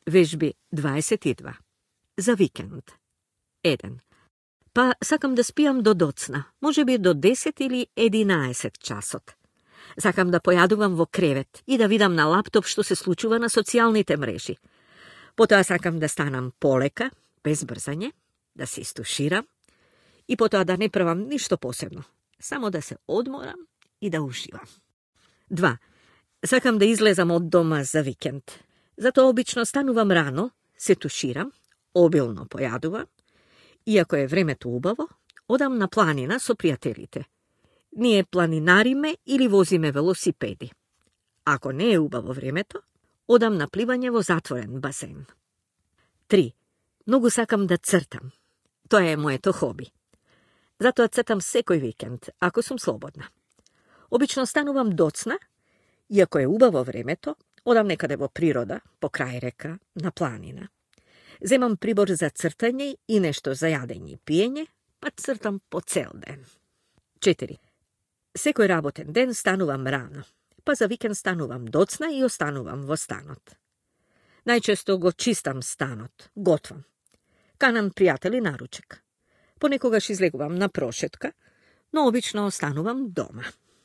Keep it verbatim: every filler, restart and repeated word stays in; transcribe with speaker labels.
Speaker 1: Вежби дваесет и два. За викенд. еден. Па сакам да спијам до доцна, може би до десет или единаесет часот. Сакам да појадувам во кревет и да видам на лаптоп што се случува на социјалните мрежи. Потоа сакам да станам полека, без брзање, да се истуширам и потоа да не правам ништо посебно, само да се одморам и да уживам. два. Сакам да излезам од дома за викенд. Затоа обично станувам рано, се туширам, обилно појадувам и ако е времето убаво, одам на планина со пријателите. Ние планинариме или возиме велосипеди. Ако не е убаво времето, одам на пливање во затворен басен. три. Многу сакам да цртам. Тоа е моето хоби. Затоа цртам секој викенд, ако сум слободна. Обично станувам доцна и ако е убаво времето, одам некаде во природа, по крај река, на планина. Земам прибор за цртање и нешто за јадење и пиење, па цртам по цел ден. четири. Секој работен ден станувам рано, па за викенд станувам доцна и останувам во станот. Најчесто го чистам станот, готвам. Канам пријатели на ручек. Понекогаш излегувам на прошетка, но обично останувам дома.